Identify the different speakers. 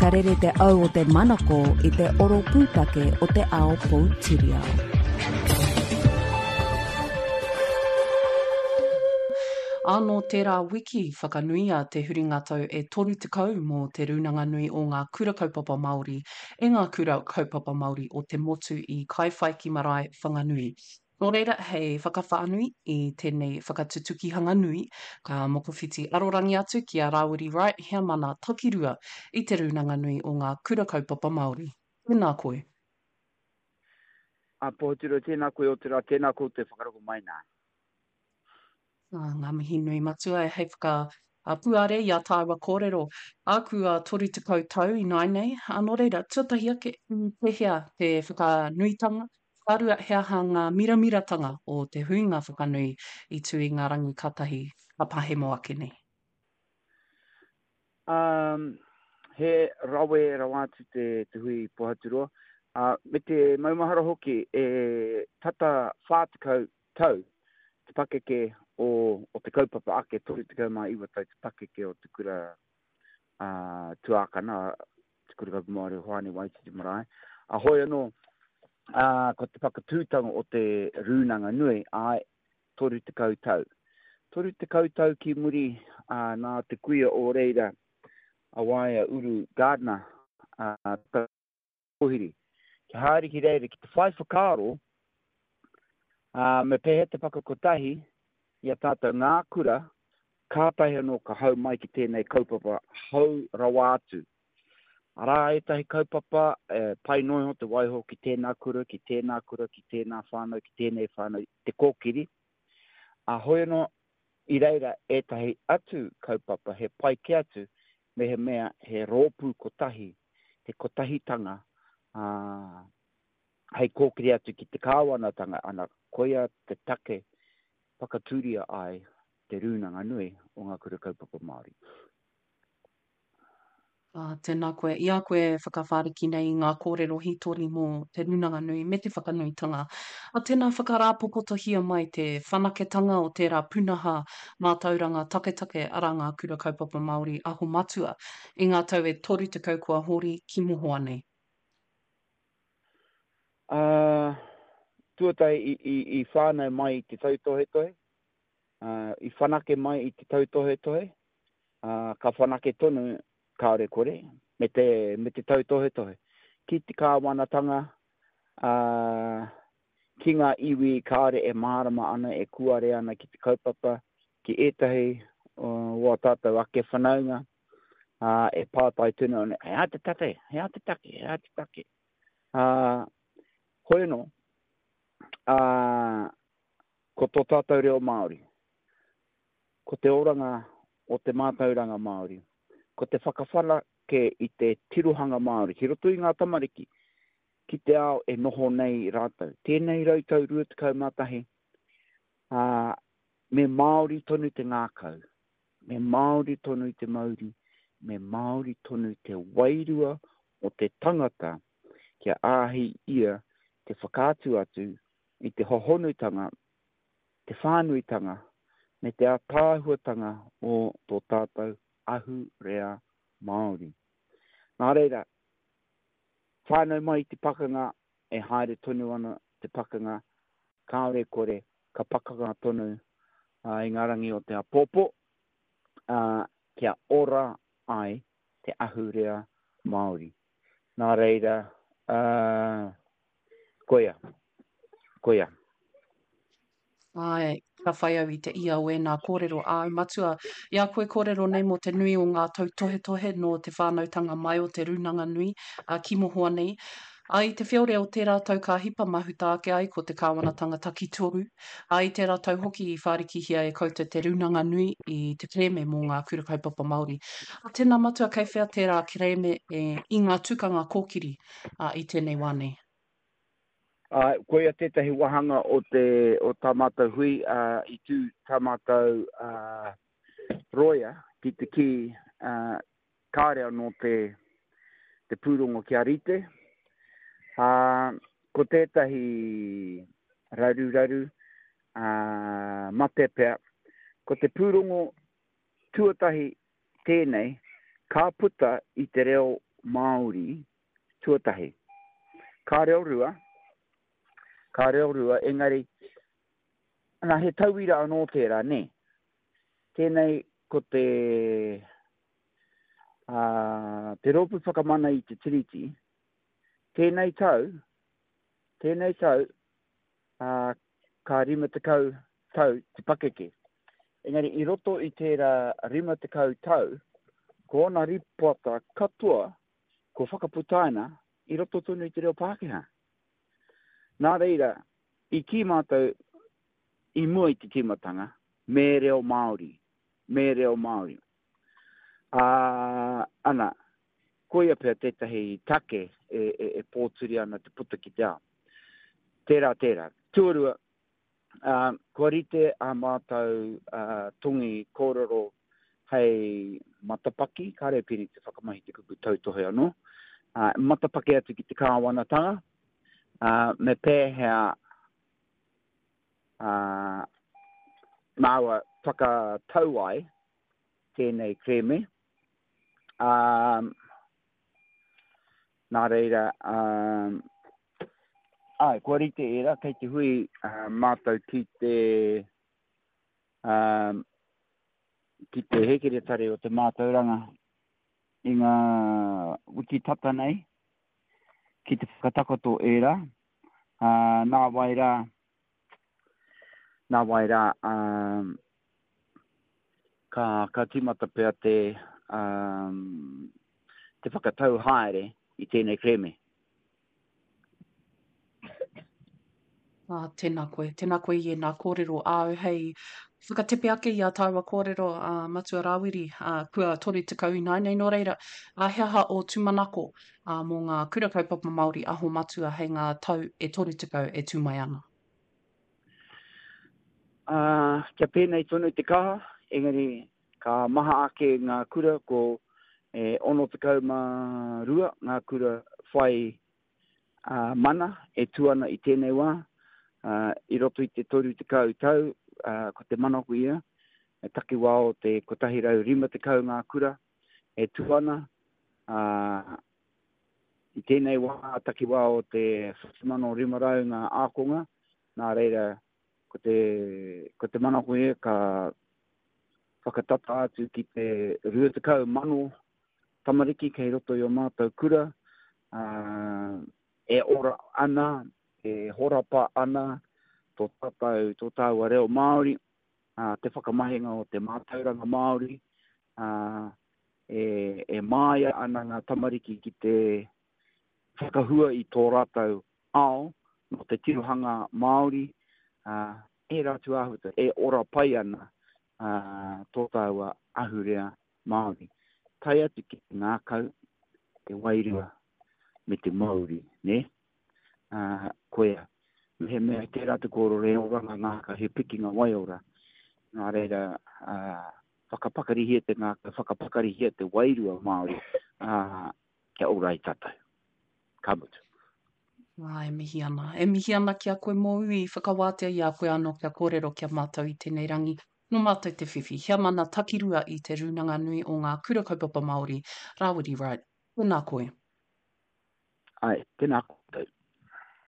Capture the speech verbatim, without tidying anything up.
Speaker 1: Ka rere te au o te manako i te oro pūtake o te ao poutiriao.
Speaker 2: Ā, nō tērā wiki whakanuia te huringa tau e toru tekau mō Te Rūnanga Nui o Ngā Kura Kaupapa Māori e ngā Kura Kaupapa Māori o te motu i Kaiwhaiki Marae, Whanganui. Nō reira, hei whakawhānui i tēnei whakatutukihanga nui, ka mokowhiti arorangi atu ki a Rāwiri Wright, heamana takirua i Te Rūnanga Nui o Ngā Kura Kaupapa Māori. Tēnā koe.
Speaker 3: A Pohotiro, tēnā koe otirā, tēnā koutou e whakarongo mai nā.
Speaker 2: Ā, ngā mihi nui matua e hei whakapuare i a tāua kōrero. Āku a toru tekau tau ināinei, ā, nō reira, tuatahi ake, i pēhea te whakanuitanga, ka rua, he aha ngā miramiratanga o te huinga whakanui i tū i ngā rangi katahi ka pahemo ake nei?
Speaker 3: Ā, he rawe rawa atu te, te hui Pohaturoa, ā, me te maumahara hoki e tata whā tekau tau te pakeke o, o te kaupapa ake, toru tekau mā iwa tau te pakeke o te kura uh, tuākana, te kura kaupapa Māori o Hoani Waititi Marae. A hoi anō, uh, ko te whakatūtanga o te Rūnanga Nui, āe, toru tekau tau. Toru tekau tau ki muri uh, nā te kuia o reira, a Waea Uru Gardiner, uh, Tauhiri, kia haere ki reira ki te whai whakaaro, ā, me pēhea te whakakotahi i a tātou ngā kura, kātahi anō ka hau mai ki tēnei kaupapa hou rawa atu. Arā ētahi kaupapa e pai noa iho te waiho ki tēnā kura, ki tēnā kura, ki tēnā whānau, ki tēnei whānau, te kōkiri. Ā, hoi anō, i reira ētahi atu kaupapa he pai kē atu mehemea he rōpū kotahi, he kotahitanga, ā, hei kōkiri atu ki te kāwanatanga, ana, koia te take whakatūria ai Te Rūnanga Nui o Ngā Kura Kaupapa Māori.
Speaker 2: Ā, tēnā koe. I a koe e whakawhāriki nei i ngā kōrero hītori mō Te Rūnanga Nui me te whakanuitanga, ā, tēnā whakarāpopotohia mai te whanaketanga o tērā pūnaha mātauranga taketake arā ngā Kura Kaupapa Māori Aho Matua i ngā tau e toru tekau kua hori ki mohoa nei.
Speaker 3: Ā, tuatahi i, i, i whānau mai i te tautohetohe, ā, i whanake mai i te tautohetohe, ā, ka whanake tonu, kāore kore, me te, me te tautohetohe. Ki te kāwanatanga, ā, ki ngā iwi kāore e mārama ana, e kūare ana ki te kaupapa, ki ētahi o ā tātou ake whanaunga, ā, e pātai tonu ana, he aha te take, he aha te take, he aha te take. Ā, hoi anō, ā, ko tō tātou reo Māori, ko te oranga o te mātauranga Māori, ko te whakawhanake i te tirohanga Māori ki roto i ngā tamariki, ki te ao e noho nei rātou. Tēnei rau tau rua tekau mā tahi, ā, me Māori tonu te ngākau, me Māori tonu te mauri, me Māori tonu te wairua o te tangata kia āhei ia te whakaatu atu i te hohonutanga, te whānuitanga me te ātaahuatanga o tō tātou ahurea Māori. Nā reira, whānau mai i te pakanga, e haere tonu ana te pakanga, kāore kore, ka pakanga tonu i ngā rangi o te āpōpō, ā, kia ora ai te ahurea Māori. Nā reira, ā, koia, koia.
Speaker 2: Āe, ka whai au i te ia o ēnā kōrero āu matua. I a koe kōrero nei mō te nui o ngā tautohetohe nō te whānautanga mai o Te Rūnanga Nui, ā, ki mohoa nei. Ā, i te whiore o tērā tau ka hipa mahuta ake ai ko te kāwanatanga takitoru, ā, i tērā tau hoki i whārikihia e koutou Te Rūnanga Nui i te kerēme mō ngā kura kaupapa Māori. Ā, tēnā matua kei whea tērā kerēme e, i ngā tukanga kōkiri, ā, i tēnei wā nei?
Speaker 3: Ā, koia tētahi wāhanga o te, o tā mātou hui, ā, i tū tā mātou, ā, rōia ki te kī, ā, kāore anō te, te pūrongo kia rite. Ā, ko tētahi raruraru, ā, mate pea, ko te pūrongo tuatahi tēnei ka puta i te reo Māori tuatahi. Ka reo rua, ka reo rua, engari, ana he tauira anō tērā, nē. Tēnei ko te, uh, te Rōpū Whakamana i te Tiriti, tēnei tau, tēnei tau, uh, ka rima tekau tau te pakeke. Engari, i roto i tērā rima tekau tau, ko ōna rīpoata katoa kua whakaputaina i roto tonu i te reo Pākehā. Nā reira, i kī mātou i mua i te tīmatanga, me reo Māori, me reo Māori. Ā, ana, koia pea tētahi take e, e, e pōturi ana te puta ki te ao. Tērā, tērā. Tuarua, ā, kua rite ā mātou ā, tongi kōrero hei matapaki, kāre e pēnei te whakamahi te kupu tautohe anō, ā, matapaki atu ki te kāwanatanga, ā, me pēhea ā, māua whakatau ai tēnei kerēme, ā, nā reira, ā, āe, kua rite ērā, kei te hui ā, mātou ki te, ā, ki te hēkeretari o te mātauranga i ngā wiki tata nei, ki te whakatakoto ērā, ā, nā wai rā, nā wai rā, ā, ka, ka tīmata pea te, ā, te whakatau haere i tēnei kerēme.
Speaker 2: Ā, tēnā koe, tēnā koe i ēnā kōrero āu hei whakatepe ake i ā tāua kōrero, ā, Matua Rāwiri, ā, kua toru tekau ināianei, nō reira, ā, he aha ō tūmanako, ā, mō ngā kura kaupapa Māori Aho Matua hei ngā tau e toru tekau e tū mai ana?
Speaker 3: Ā, kia pēnei tonu te kaha, engari ka maha ake ngā kura, ko e ono tekau mā rua ngā kura whai ā, mana e tū ana i tēnei wā, ā, i roto i te toru tekau tau, ā, ko te manako ia, e takiwā o te kotahi rau rima tekau ngā kura e tū ana, ā, i tēnei wā, takiwā o te whitu mano rima rau ngā ākonga, nā reira, ko te, ko te manako ia ka whakatata atu ki te rua tekau mano tamariki kei roto i ō mātou kura, ā, e ora ana, e horapa ana tō tātou, tō tāua reo Māori, ā, te whakamahinga o te mātauranga Māori, ā, e, e māia ana ngā tamariki ki te whakahua i tō rātou ao nō te tirohanga Māori, ā, ērā atu āhuatanga e ora pai ana, ā, tō tāua ahurea Māori. Tae atu ki te ngākau, te wairua, me te mauri, nē? Ā, koia. Mehemea i tērā te kōrero he oranga ngākau, he pikinga waiora. Nā reira, ā, whakapakarihia te ngākau, whakapakarihia te wairua Māori, ā, kia ora ai tātou. Ka mutu.
Speaker 2: Ā, e mihi ana. E mihi ana ki a koe mōu i whakawātea i a koe anō kia kōrero ki a mātou i tēnei rangi. Nō mātou te whiwhi heamana takirua i Te Rūnanga Nui o Ngā Kura Kaupapa Māori, Rāwiri Wright. Tēnā koe.
Speaker 3: Āe, tēnā koutou.